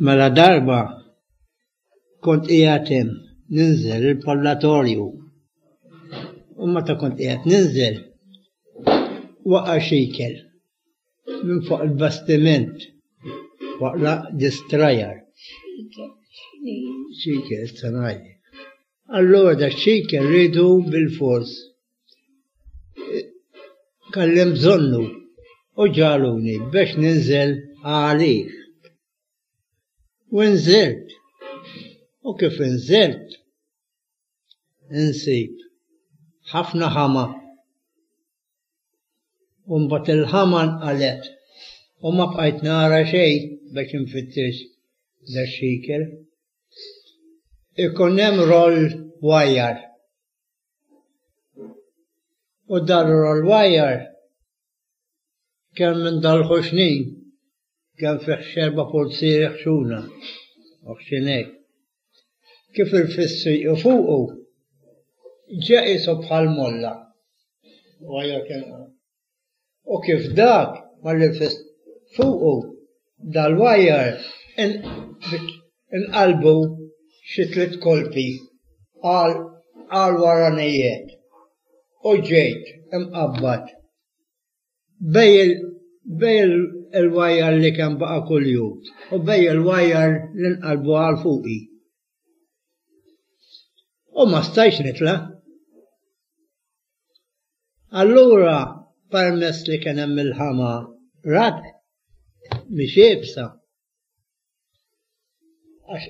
Mela darba kont qiegħed hemm ninżel il-parlatorju. U meta kont qiegħed ninżel waqa' xikel minn fuq il-bastiment waqla distrajar. Xikel, sanajli. Allura da xikel rridu bil-fors. Kellem bżonnu u ġaluni biex ninżel għalih. U nżilt. U kif inżilt, insib ħafna ħama. U mbagħad il-ħama nqalet u ma bqajt nara xejn biex infittex da xikel. Ikun hemm roll wire. U dar roll wire kemm minn dal-ħoxnin kemm fih xerba pulzieri ħxuna u ħxinek. Kif irfissi u fuqu ġa qisu bħal molla. Wire kien U kif dak malli rfist fuqu dal-wire inqalbu xi tliet kolpi għal waranijiet u ġejt imqabbad bejn il-wire li kemm baqa' kuljum u bejn il-wire li nqalbu għal fuqi. U ma stajtx nitla'. Allura permess li kien hemm il-ħama rad mhix iebsa. Għax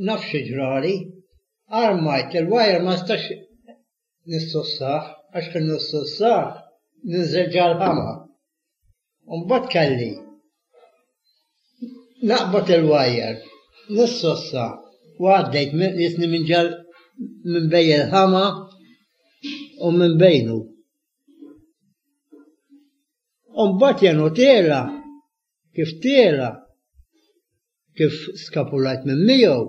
naf xi ġrali, armajt il-wire ma stax nissussah, għax kien nissussah ninżel ġal-ħama. Mbagħad kelli naqbad il-wire, nissossa u għaddejt jisni minn ġal minn bej il-ħama u minn bejnu. U mbagħad jenu tela, kif tela, kif skapulajt minn miegħu,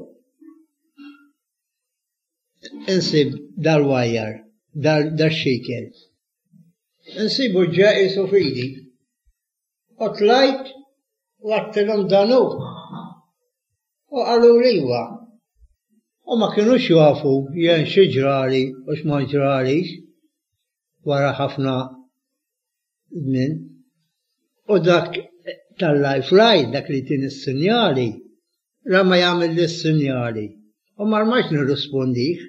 insib dal-wajar, dal-xikel. Insibu ġa qisu f'idi. U tlajt u għadtilhom dan hu. U qaluli iva. U ma kinux jafu jien xi ġrali u x'ma ġralix wara ħafna żmien. U dak tal-life line, dak li jtini s-sinjali, ra ma jagħmilli s-sinjali. U ma rmajtx nirrispondih.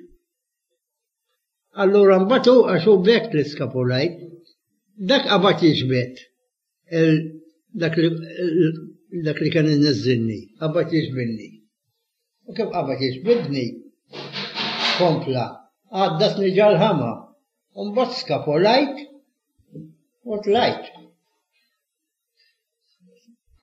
Allura mbagħad hu għax hu b'hekk li skapulajt, dak qabad jiġbed dak li dak li kien inniżżilni, qabad jiġbidni. U kif qabad jiġbidni, kompla, għaddasni ġal-ħama. U mbagħad skapolajt u tlajt.